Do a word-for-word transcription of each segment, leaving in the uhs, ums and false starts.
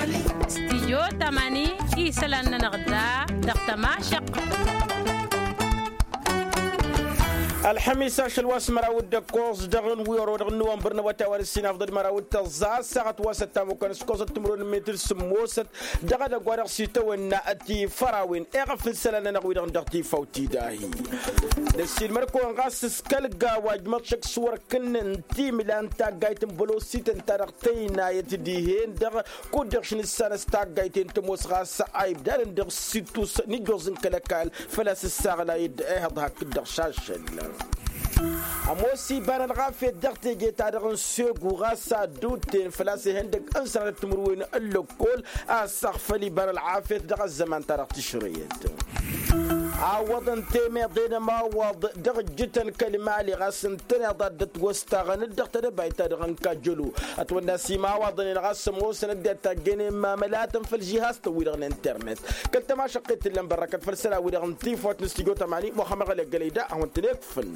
Stijyo tamani isălan-nănăɣ da dăɣ-tămašăq. Ălxămis ašăl wa s-măraw d-ăkkoẓ dăɣ-n wi ărodăɣ n-năwănbăr n-awătay wa n-ǝssin afḍăd măraw d-tăẓẓa ăssaɣăt wa s-ăttamukăn s-koẓăt timǝrwen n-metir sǝmmosăt dăɣ-edăgg wa dăɣ-s itawănna. Tifărawen eɣăf n-isălan-nănăɣ wi-dăɣ n-dăɣ-tifawt-i dahi. Năssiilmăr-kăwăn ɣas s-kăl-gawa ǝjmăḍ šăkk s-wăr kǝnnăn timǝla n-taggayt n-bălosităn ta dăɣ-tăynayăt dihen-dăɣ kud-dăɣ š-nǝssanăs taggayt-en tămoos ɣas a ibdadăn dăɣ-s ittus n-ijjoẓ n-kăl-ăkall făl-a-s ǝssaɣlayăd ehăḍ hakd-dăɣ šašăl. Ămoos iba n-ălɣafyăt dăɣ-teje-ta-dăɣ n-segu ɣas addut-ten făl-a-s ihăndăg n-sănatăt timǝrwen n-lăkkol a ăssaɣfăl iba n-ălɣafyăt dăɣ-ăzzăman-ta-dăɣ tǝšrăyăt. Awwăḍăn temeḍe n-ămawaḍ dăɣ-ǝjjǝtăn kăl-imali ɣas ǝntăneḍ ad-dd-ătwăstaɣăn-dd dăɣ-tedăbayt-ta-dăɣ n-kajjălu. Ătwănna s-imawaḍăn-en ɣas ămoosăn ăddinăt ta ăjjănen mamălatăn făll-žihaztăn-wi-dăɣ n-internet. Kăl-tămašăqqet t-ǝllăn bărrăkăt făll-isălan-wi-dăɣ n-tifawt n-stujo tămani muxămăɣ ălegălăy da a-wen-tăn-ekfǝn.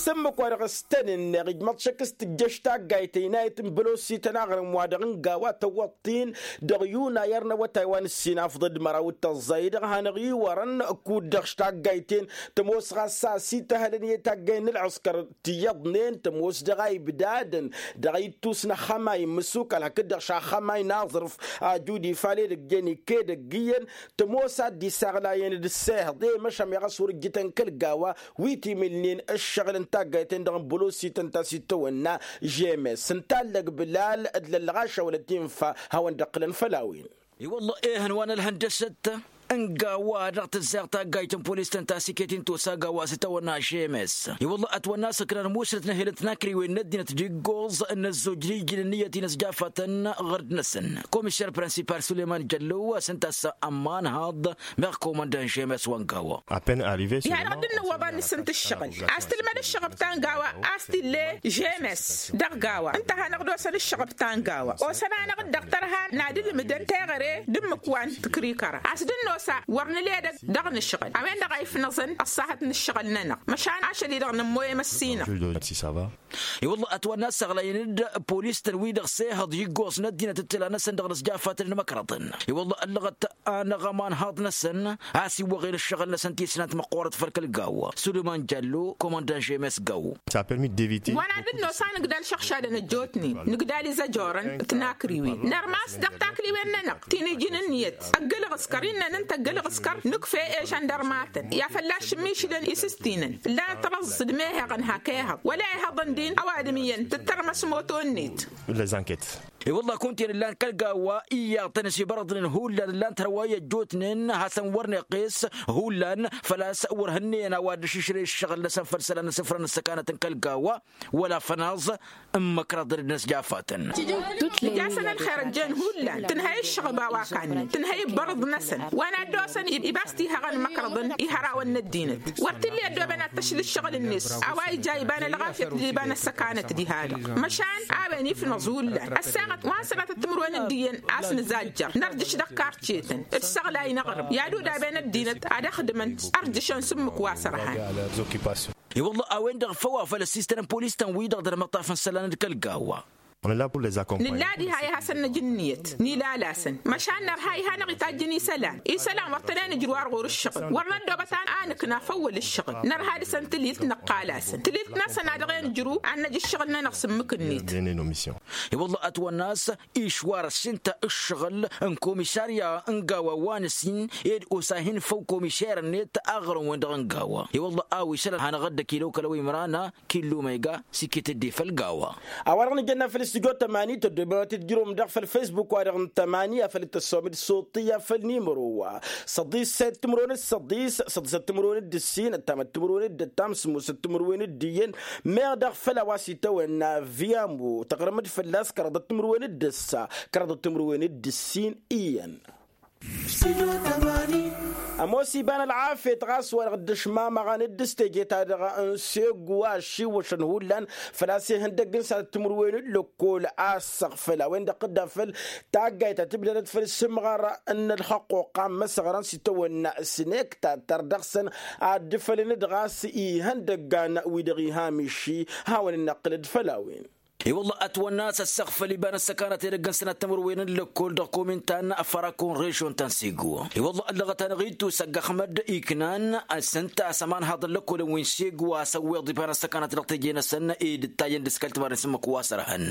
S-ǝmmǝk wa dăɣ-s tăn-ǝnneɣ ijmăḍ šăkk s-tǝjjăš taggayt ăynayăt n-bălosităn aɣrǝm wa dăɣ-n gawa tăwwăḍt-in dăɣ-yunayăr n-awătay wa n-ǝssin afḍăd măraw d-tăẓẓay-dăɣ hanăɣ-iwărăn kud-dăɣ š-taggayt-en tămoos ɣas a-s ităhălăn i-taggay n-ǝlɣǝskăr. Tiyyăḍnen tămoos dăɣ-a ibdadăn dăɣ-ittus n-axămay n-imǝsukal hakd-dăɣ š-axămay n-aẓrǝf ajud ifal edăgg-en ikedăgg iyyăn. Tămoos ad-dd-isaɣlayăn d-ǝssehăḍ i-măšan meɣ a-s wăr ǝjjǝtăn kăl-gawa wi timǝlnen ǝššăɣǝl n-taggayt-en-dăɣ n-bălosităn ta s-itawănna žemes ǝnta allăg bǝlal d-lăllăɣaša wăla t-infa hawăn-dd-ăqqǝlăn făll-a-wen. I-wălla ehăn wa n-ălhăndăsăt n-gawa dăɣ-tǝzzaɣ taggayt n-polis tăn-tasikăt-in tosa gawa s-itawănna žemes. I-wălla ătwănna s-ǝknan musnăt n-ehel n-tinakriwen n-ăddinăt d-iggoẓ n-ăzzoj d-ijjǝn ǝnniyăt-in ăsjafatăn ɣărd-năsăn. Komiser principal sulăyman jăllo a-s ǝnta a-s ămmanhaḍ meɣ komăndan žemes wa n-gawa. Ihănăɣ-dd ǝnnǝwwăḍ ad-nǝsǝnt ǝššăɣǝl a-s tǝlmăd ǝššăɣăb ta n-gawa a-s t-ille žemes. Dăɣ-gawa ǝnta a hanăɣ-dd-osăn ǝššăɣăb ta n-gawa osăn-anăɣ-dd dăɣ-tărha n-ad-ǝlmǝdăn teɣăre d-ǝmmǝk wa n-tǝkrikăra a-s dd-ănnosa wăr nǝla edăgg dăɣ-nǝšɣǝl a-wen-dăɣ a ifnăẓăn ăṣṣahăt n-ǝššăɣǝl-nănăɣ. Măšan ašăl-i-dăɣ nǝmmoyăm ăssinăɣ. I-wălla ătwănna ăssaɣlayăn-dd polis-tăn wi-dăɣ s-ehăḍ iggoẓ n-ăddinăt d-tǝla-năsăn dăɣ-inǝzjafat d-imăkrăḍăn. I-wălla ăllăɣăt anăɣ-ămanhaḍ-năsăn a-s iwwăɣen ǝššăɣǝl-năsăn tisnant măqqoorăt făll-kăl-gawa. Sulăyman jallo komăndan žemes gawo. Wa n-ad-dd-nos a nǝgdal šăɣšadăn ăjjootnen nǝgdal izăjorăn d-tinakriwen nărmas dăɣ-takliwen-nănăɣ ti n-iji n-ǝnniyăt. Ăgg-ǝlɣǝskăr innăn ǝnta ăgg-ǝlɣǝskăr nǝkf'-e žăndărmatăn i-ad-fălla-š ǝmmišǝlăn isǝstinăn ǝllanăt răẓẓ d-mehăɣăn hak ehăḍ wăla ehăḍăn din ăwadǝm iyyăn tǝttărmăs moto-net. I-wălla kunta-en ǝllan kăl-gawa iyyăḍ-tăn s-ibărăḍnen hullan ǝllan-t hărwa i-ăjjootnen hasăn-wăr n-iqqes hullan. Făl-a-s wăr hǝnneyăn a-wa dd-ăššǝšrăy ǝššăɣǝl-năsăn făll-isălan n-asǝfrăn ǝssăkanăt n-kăl-gawa wăla fănaẓ n-imǝkrăḍăn d-inǝsjafatăn. Ǝjjasăn ălxer ăjjeen hullan tǝnhăy ǝššăɣǝb a-wa kannen tǝnhăy ǝbbărǝḍ-năsăn wa n-ad-dd-osăn ibas tihăɣăn imǝkrăḍăn ihărawăn n-ăddinăt. Wăr t-illa i-ăddooben ad-t-ăšla ǝššăɣǝl-net a-wa ija iba n-ălɣafyăt d-iba n-ăssăkanăt diha-dăɣ. Măšan a-wen ifnăẓ hullan ăssaɣăt wa n-sănatăt timǝrwen d-iyyăn a-s nǝzajjăr nărjǝš dăɣ-karcetăn d-săɣlay n-aɣrǝm i-ad-udaben ăddinăt ad-ăxdǝmăn. Ărjǝšăn s-ǝmmǝk wa s-ărhan. I-wălla a-wen-dăɣ făw a făl ăssiistăn n-polis-tăn-wi-dăɣ dăr-măṭṭaf n-isălan d-kăl-gawa. Nǝlla diha i-ad-hasăn-nǝj ǝnniyăt n-ilalăsăn măšan nărha iha-năɣ itajjăn isălan. Isălan wăr tăn-e-nǝjrǝw ar ɣur-ǝššăɣǝl wăr năddoobăt a nǝkna făw wăl-ǝššăɣǝl nărha dăɣ-săn tǝlilt năqqal-asăn tǝlilt-năsăn a dăɣ-e-nǝjrǝw ad-năj ǝššăɣǝl-nănăɣ s-ǝmmǝk-net. I-wălla ătwănna a-s išwar ăssintăn ǝššăɣǝl n-komisarya n-gawa wa n-ǝssin ed osa hin-făw komiser-net aɣrǝm-wen-dăɣ n-gawa. I-wălla a-wa isălan hanăɣ-dd-ăkilăw kăla wa imrana. Killu ma iga s-iket-dd i-făll-gawa. A-wa-dăɣ nǝjănna făll-studyo tămani tăddoben wa t-dd-jărǝwăm daɣ făll-facebook-wa-dăɣ n-tămani afăl dd-tăssomăd s-uṭṭǝy afăl nimăro-wa săḍis săyăt timǝrwen d-săḍis săḍisăt timǝrwen d-ǝssin ăttamăt timǝrwen d-ăttam sǝmmosăt timǝrwen d-iyyăn. Meɣ daɣ făll-a-wa s-itawănna viamo tăɣrǝm-dd fălla-s kăraḍăt timǝrwen d-ǝssa kăraḍăt timǝrwen d-ǝssin iyyăn. Ămoos iba n-ălɣafyăt ɣas wa-dăɣ dd-ăšmamăɣăn dd-s teje-ta-dăɣ n-segu a ăššiwwăšăn hullan făl-a-s ihăndăgg n-sănatăt timǝrwen n-lăkkol a ăssăɣfăl a-wen-dăɣ tǝdda făll-taggayt ta tǝbdădăt făll-sǝmɣăr n-ălxăqquqa n-imăsăɣrăn s-itawănna s-nektattăr dăɣ-săn ad-dd-fălăn-dd ɣas ihăndăggan wi-dăɣ iha miši. Hawăn-dd-năqqǝlăd făll-a-wen. I-wălla ătwănna a-s ăssăɣfăl iba n-ăssăkanăt edăgg n-sănat timǝrwen n-lăkkol dăɣ-komin ta n-afărakon režion ta n-sego. I-wălla ăllăɣăt-anăɣ ittus ăgg-ăxmăd iknan s-ǝnta a-s ămanhaḍăn lăkkolăn wi n-sego a-s ăwweḍ iba n-ăssăkanăt dăɣ-teje-năsăn. Ed ǝttajăn d-askăl timaren s-ǝmmǝk wa s-ărhăn.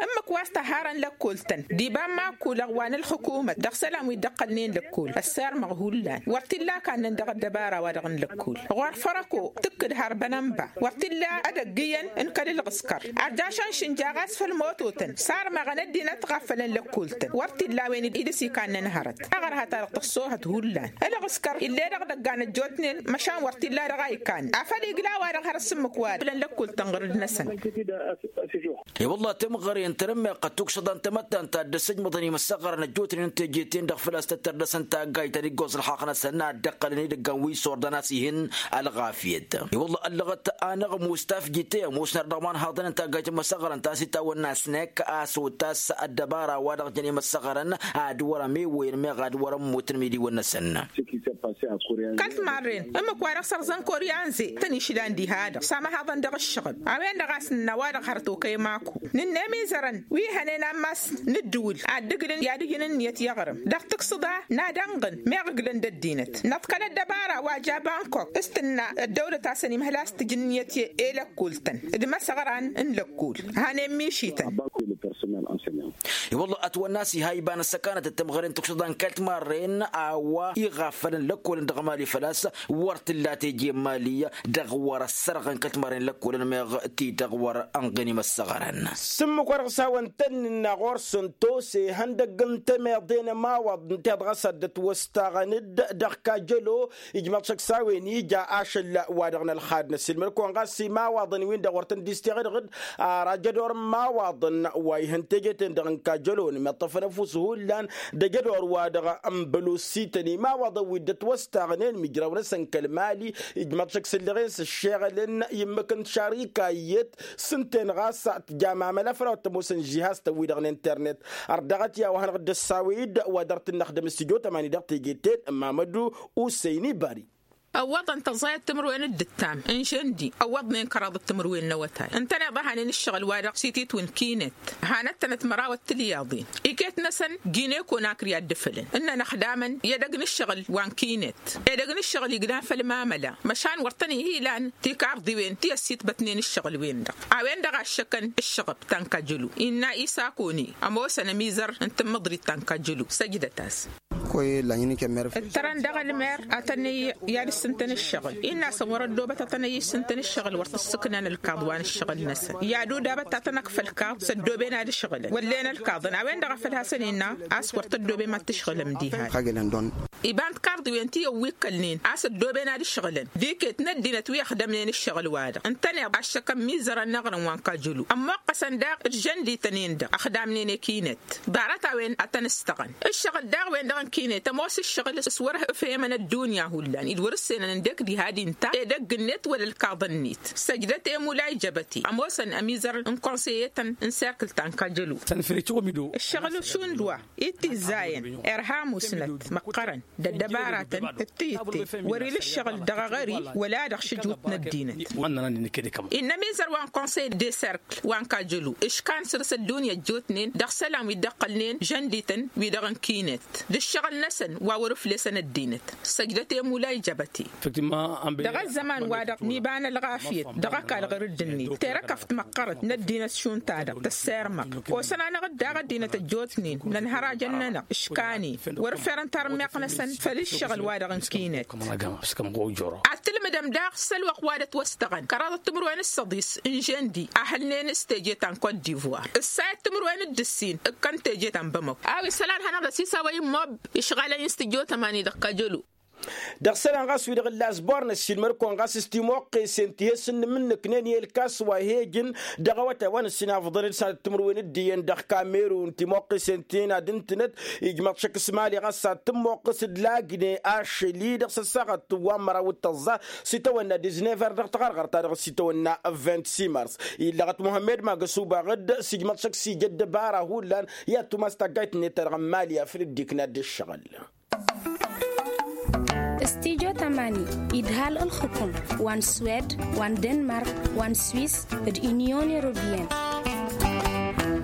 Ǝmmǝk wa s-tăharăn lăkkoltăn d-iba n-iman kulăɣ wa n-ălxukumăt dăɣ-isălan wi dd-ăqqălnen lăkkol ăssirmăɣ hullan wăr t-illa kannăn dăɣ-ăddăbara-wa-dăɣ n-lăkkol ɣur-fărăko tǝkkǝd har bănănba wăr t-illa ad-ăggǝyăn n-kăl ǝlɣǝskăr. Ărjašăn šǝnja ɣas făll-mototăn sarmăɣăn ăddinăt ɣaffălăn lăkkoltăn wăr t-illa a-wen idǝs ikannăn hărăt. Aɣărha-ta-dăɣ tăṣṣohăt hullan ǝlɣǝskăr ill'-e-dăɣ dăgg-anăt jotnen măšan wăr t-illa dăɣ-a ikan afăl igla-wa-dăɣ hărăt s-ǝmmǝk wa fălăn lăkkoltăn ɣǝrǝd-năsăn. I-wălla timɣăre n-tărǝmmeɣt tukšăḍa n-tamăttant ta dd-ăssăjmăḍăn imăssăɣărăn ăjjootnen n-teje-ten-dăɣ făl-a-s tăttăr dăɣ-săn taggayt ta n-iggoẓ ălxaqq-năsăn a dd-ăqqălăn edăggan wi s-ordăn a-s ihǝn ălɣafyăt. I-wălla ăllăɣăt-anăɣ mus tafjit i-ămoosnăr dăɣ-imanhaḍăn n-taggayt n-imăssăɣărăn ta s-itawănna s-nekk a-s otas ăddăbara-wa-dăɣ jăn imăssăɣărăn ad-wăr-ămewăyăn meɣ ad-wăr-ămmutăn imidiwăn-năsăn. Kăl-timarren ǝmmǝk-wa-dăɣ sărzăn koryanze tăn-išlan diha-dăɣ s-amăhaḍăn dăɣ-ǝššăɣǝb a-wen-dăɣ a-s nǝnna wa-dăɣ hărăt okăy maku nǝnna imizărăn wi hănen ammas n-ǝddǝwǝl ad-dd-ǝglǝn i-ad-ǝjǝn ǝnniyăt i-aɣrǝm dăɣ-tǝksǝḍa n-ad-ănɣǝn meɣ ǝglǝn d-ăddinăt năḍkăl ăddăbara wa ja bankok s-tǝnna ăddăwlăt a-s ănimhăl a-s tǝjǝn ǝnniyăt i-lăkkoltăn d-imăsăɣran n-lăkkol. Hanen mišităn. I-wălla ătwănna a-s iha iba n-ăssăkanăt d-timɣăren tukšǝḍa n-kăl-timarren a-wa iɣaffălăn lăkkolăn dăɣ-emali făl-a-s wăr t-illa teje n-emali dăɣ-wăr ăssărɣăn kăl-timarren lăkkolăn meɣ ti-dăɣ wăr ănɣen imăssăɣărăn. S-ǝmmǝk wa dăɣ-s hawăn-tăn-nǝnna ɣur-săn tose ihăndăgg n-temeḍe n-ămawaḍ ǝnta-i-dăɣ a-s ad-dd-ătwăstaɣăn-dd dăɣ-kajălo. Ijmăḍ šăkk s-a-wen ija ašăl wa-dăɣ n-ălxad n-ăssiilmăd-kăwăn ɣas imawaḍăn-win-dăɣ wăr tăn-dd-isteɣ-dăɣ-dd. Ar ajădor n-imawaḍăn wa ihăn teje-ten-dăɣ n-kajălo n-meṭṭăfăn ăfuss hullan d-ajădor-wa-dăɣ n-bălosităn imawaḍăn wi dd-ătwăstaɣnen mijraw-năsăn kăl-mali. Ijmăḍ šăkk s-ǝllăɣen s-ǝššeɣălăn i-ǝmmǝk n-tišarika iyyăt s-ǝnta-en ɣas tǝjam amăla făll-a-wa t-ămoosăn žihaz-tăn-wi-dăɣ n-internet. Ărdăɣăt i-a-wa hanăɣ-dd-ăssawăy-dd wa dăr-t-năxdăm s-tijo tămani dăɣ-teje-ten n-mamădu usăyni bari. Ăwwăḍăn tăẓẓayăt timǝrwen d-ǝttam n-žăndi ăwwăḍnen kăraḍăt timǝrwen n-awătay ǝntăneḍ a hanen ǝššăɣǝl-wa-dăɣ s-ititwǝn kinet hanăt-tănăt mărawăt tilyaḍen iket-năsăn gine-konakri a dd-ǝfălăn ǝnnăn ăxdamăn i-edăgg n-ǝššăɣǝl wa n-kinet edăgg n-ǝššăɣǝl iglan făll-mamăla măšan wăr tăn-ih-ilan tikarḍiwen ti ăssitbătnen ǝššăɣǝl-wen-dăɣ. A-wen-dăɣ a ǝššăkăn ǝššăɣăb ta n-kajjălo innă isakoni ămoosăn ămizăr n-tǝmmǝḍrit ta n-kajjălo săjdăt-as. Ǝttărăn dăɣ-ălmer ad-tăn-ăyy i-ad-ǝssǝntăn ǝššăɣǝl innă a-săn wăr-ăddoobăt ad-tăn-ăyy ǝssǝntăn ǝššăɣǝl wăr t-ǝssǝknan ǝlkaḍ wa n-ǝššăɣǝl-năsăn i-ad-udabăt ad-tăn-ăkf ălkaḍ s-ăddooben ad-ǝšɣǝlăn wăllen ălkaḍăn a-wen-dăɣ a făl hasăn-innă a-s wăr t-ăddoobem ad-t-ǝšɣǝlăm diha-dăɣ. Iba n-tikarḍiwen ti ăwwikkălnen a-s ăddooben ad-ǝšɣǝlăn d-iket n-ăddinăt wi ăxdămnen ǝššăɣǝl-wa-dăɣ ǝntăneḍ aššăkăn imizărăn n-aɣrǝm wa n-kajjălo ămmoqqăsăn daɣ d-žăndităn-en-dăɣ ăxdamnen i-kinet. Ḍarăt-a-wen ad-tăn-ǝstăɣăn ǝššăɣǝl daɣ-wen-dăɣ n-kinet ămoos ǝššăɣǝl s-wăr-efhemăn ăddunya hullan-i d-wăr-ǝssenăn ǝndek diha d-inta edăgg-net wăla ǝlkaḍăn-net. Săjdăt i-mulay jăbăte ămoosăn ămizăr n-konseye-tăn n-serkǝl ta n-kajălo. Ǝššăɣǝl šund wa ittizzayen irha musnăt măqqărăn d-ăddăbaratăn d-tiyǝtte wăr-ila ǝššăɣǝl dăɣ-aɣări wăla dăɣ-šǝjwǝt n-ăddinăt. Innă ămizăr wa n-konsey de serk wa n-kajălo ǝškan săr-s ăddunya ăjjootnen dăɣ-isălan wi dd-ăqqălnen žăndităn wi-dăɣ n-kinet d-ǝššăɣǝl-năsăn wa wăr-ǝflesăn ăddinăt. Săjdăt i-mulay jăbăte. Dăɣ-ăzzăman-wa-dăɣ n-iba n-ălɣafyăt dăɣ-ăkall ɣăr dd-net terăkăft măqqărăt n-ăddinăt šund-ta-dăɣ tăssirmăɣ kosăn-anăɣ-dd daɣ ăddinăt ăjjootnen n-ănhărajăn-nănăɣ ǝškan-in wăr-ǝffărăn tarǝmmeɣt-năsăn făll-ǝššăɣǝl-wa-dăɣ n-kinet. Ad-tǝlmǝdăm daɣ s-ălwăqq wa dd-ătwăstăɣăn kăraḍăt timǝrwen d-săḍis n-žăndi a hălnen s-teje ta n-kot divoir ǝssayăt timǝrwen d-ǝssin ǝkkăn teje ta n-bamăko a-wa isălan hanăɣ-dăɣ s-isawăy n-mob išɣalăn-in s-tǝjjo tămani dăɣ-kajălo. Dăɣ-isălan ɣas wi-dăɣ ǝlla s-bornăs šilmăr-kăwăn ɣas s-timoqqesen ti he-sǝnnǝm-nǝknen i-ălkas wa he-ǝjǝn dăɣ-awătay wa n-ǝssin afḍăn d-sănat timǝrwen d-iyyăn dăɣ-kamerun timoqqesen-ten ad-ǝntǝnăt. Ijmăḍ šăkk s-mali ɣas ad-tǝmmoqqǝs d-lagǝne ašăl-i dăɣ-săssaɣăt wa n-măraw d-tăẓẓa s-itawănna diznever dăɣ-taɣărɣărt-ta-dăɣ s-itawănna vint-simars. Illăɣăt muhămmed magăsubaɣ-dd s-ijmăḍ šăkk s-ija ăddăbara hullan i-ad-tumas taggayt-net-ta-dăɣ n-mali afăl dd-ikna dd-ǝššăɣǝl. S-tijotăm. Almani, idhal ǝlxǝkum wa n-swed, wa n-denmark, wa n-swis, d-inyon europiyăn.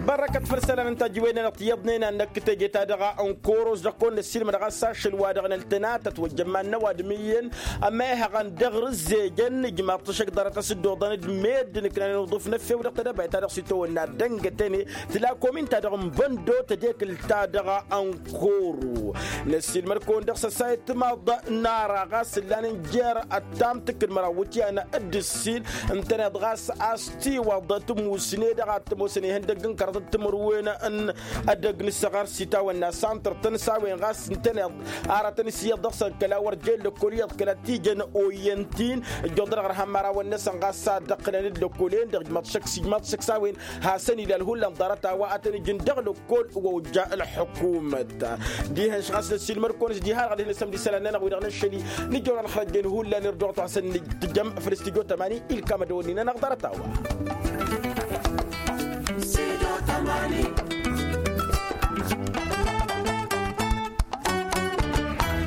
Bărrăkăt făll-isălan n-tajǝwen-nănăɣ tiyyăḍnen a n-năkk teje-ta-dăɣ n-koros dăɣ-kăwăn-năssilmăd ɣas ašăl-wa-dăɣ n-ăltănatăt wa ǝjjămman n-ăwadǝm iyyăn. Ămehăɣăn dăɣ-rǝzzejăn ijmaḍ-t ăššăk ḍarăt a-s dd-oḍăn d-meddǝn ǝknanen uḍǝf n-efew dăɣ-tedăbayt-ta-dăɣ s-itawănna dăngătene. Tǝla komin-ta-dăɣ n-băndo tădekǝlt-ta-dăɣ n-koro. Năssiilmăd-kăwăn dăɣ-săsayăt timaḍ n-ara ɣas ǝllan n-jer-ăttam tǝkkǝd măraw wǝtyan d-ǝssin. Ǝntăneḍ ɣas a-s tiwăḍ tǝmmusne-dăɣ ad-t-ămoosăn ihăndăgg n-kărăḍ d-timǝrwen n-edăgg n-ǝssăɣăr s-itawănna santăr-tăn s-a-wen ɣas ǝntăneḍ aratăn s-iyyăḍ dăɣ-săn kăla wăr jen lăkkol iyyăḍ kăla tijăn oyyăn-t-in. Ǝjjuḍănăɣ ărhăm mărawăn-năsăn ɣas a dd-ăqqǝlăn d-lăkkolen-dăɣ ijmaḍ-t šăkk s-ijmaḍ-t šăkk s-a-wen. Hasăn-ila ălhullan ḍarăt a-wa ad-tăn-ǝjǝn dăɣ-lăkkol wa ojja ălḥukumăt. Dihen-š ɣas năssiilmăr-kăwăn-s diha-dăɣ ad-hin-nǝsăm d-isălan-nănăɣ wi-dăɣ năššăli. Nǝjjăwăn ălxăjjen hullan irduɣăt wa hasăn-nǝjjăm făll-studyo tămani ilkam ădăwănni-nănăɣ ḍarăt a-wa.